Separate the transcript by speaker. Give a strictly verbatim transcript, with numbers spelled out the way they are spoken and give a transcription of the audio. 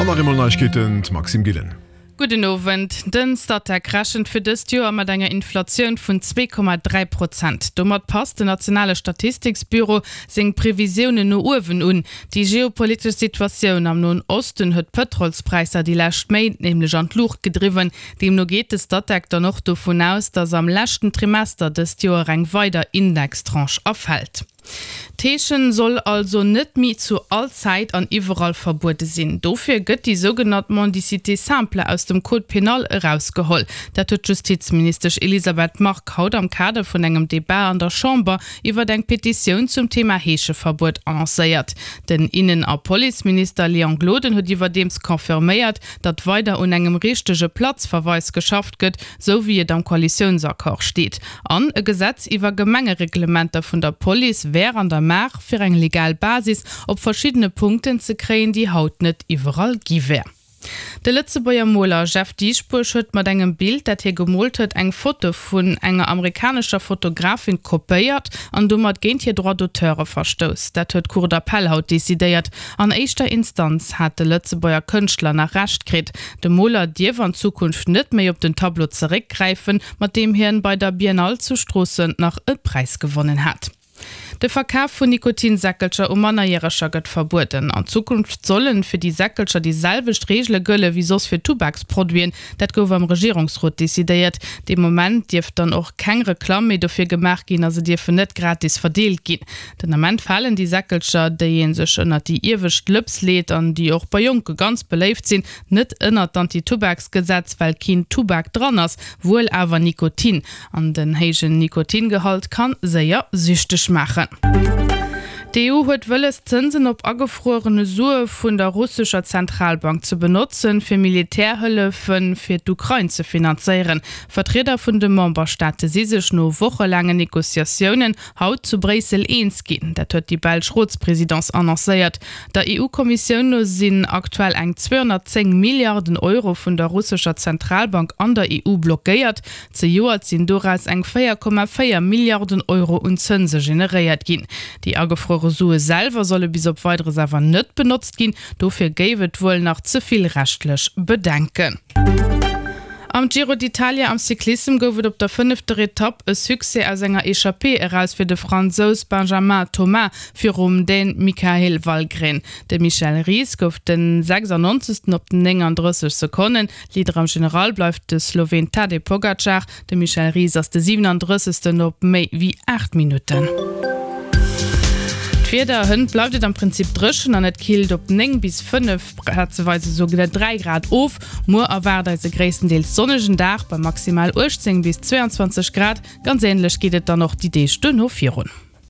Speaker 1: An nach eemol Neiegkeeten, d'Maxime Gillen.
Speaker 2: Gudden Owend. Den Statec rechent fir dëst Joer mat enger Inflatioun vun zwee Komma dräi Prozent. Domat passt den nationale Statistiksbüro seng Previsiounen no uewen un. Déi geopolitesch Situatioun am Noen Osten huet d'Pëtrolspräisser déi lescht Méint nämlech an d'Luucht gedriwwen. Deemno geet de Statec dann och dovun aus, datt am leschten Trimester dëst Joer eng weider Indextranche erfält. D'Heeschen soll also net méi zu all Zäit an iwwerall verbuede sinn. Dofir gëtt déi sougenannt Mendicité simple aus dem Code pénal erausgeholl. Dat huet d'Justizministesch Elisabeth Margue haut am Kader vun engem Debat an der Chamber iwwert eng Petitioun zum Thema Heescheverbuet annoncéiert. Den Innen a Policeminister Léon Gloden huet iwwerdeems confirméiert, datt weider un engem richtege Platzverweis geschafft gëtt, sou wéi et am Koalitiounsaccord steet. An e Gesetz iwwer Gemengereglementer vun der Police wär an der Maach, fir eng legal Basis op verschiddene Punkten ze kréien, déi haut net iwwerall gi wär. De Lëtzebuerger Moler Jeff Dieschbourg huet mat engem Bild, dat hie gemoolt huet, eng Foto vun enger amerikanescher Fotografin kopéiert an domat géint hir Droits d'auteure verstouss. Dat huet d'Cour d'appel haut decidéiert. An éischter Instanz hat de Lëtzebuerger Kënschtler nach Recht kritt. De Moler dierf an Zukunft net méi op den Tableau zeréckgräifen, mat deem hien bei der Biennale zu Stroossen nach e Präis gewonnen hat. De Verkaf vun Nikotinsäckelcher u Mannerjäreger gëtt verbueden. An Zukunft sollen fir déi Säckelcher déi selwecht Reegele gëlle wéi soss fir Tubaksproduiten. Dat gouf am Regierungsrot decidéiert. Dee Moment dierf dann och keng Reklamm méi dofir gemaach ginn a se dierfen net gratis verdeelt ginn. Den Ament falen déi Säckelcher, déi ee sech ënnert déi iewescht Lëps leet an déi och bei Jonke ganz beléift sinn, net ënnert d'Anti-Tubaksgesetz, well keen Tubak dran ass, wuel awer Nikotin. An den héijen Nikotingehalt kann séier süchteg maachen. D'EU huet wëlles, d'Zënsen op agefruerene Sue vun der russescher Zentralbank ze benotzen, fir Militärhëllefe fir d'Ukrain ze finanzéieren. Vertrieder vun de Memberstaate si sech no wochelaangen Negociatiounen haut zu Bréissel eens ginn. Dat huet déi belsch Rotspresidence annoncéiert. Der EU-Kommissioun no sinn aktuell eng zweehonnertzéng Milliarden Euro vun der russescher Zentralbank an der E U blockéiert. Zejoert sinn doraus eng véier Komma véier Milliarden Euro un Zënse generéiert ginn. Déi agefruere Sue selwer solle bis op Weideres awer net benotzt ginn. Dofir géif et wuel nach ze vill rechtlech Bedenken. Am Giro d'Italia am Cyclissem gouf et op der fënnefter Etapp e Succès aus enger Echappée eraus fir de Fransous Benjamin Thomas virum Dän Michael Valgren. De Michel Ries gouf de sechsundneunzegsten op nénganddrësseg Sekonnen. Leader am General bleift de Sloween Tadej Pogacar. De Michel Ries ass de siewenunddrëssegsten op méi wéi aacht Minutten. D'Wieder, Hënt bleift et am Prinzip dréchen an et killt op néng bis fënnef, plazeweis esouguer dräi Grad of. Muer erwaart eis e gréisstendeels sonnegen Dag bei maximal uechtzéng bis zweeanzwanzeg Grad. Ganz änlech geet et dann och déi Deeg duerno virun.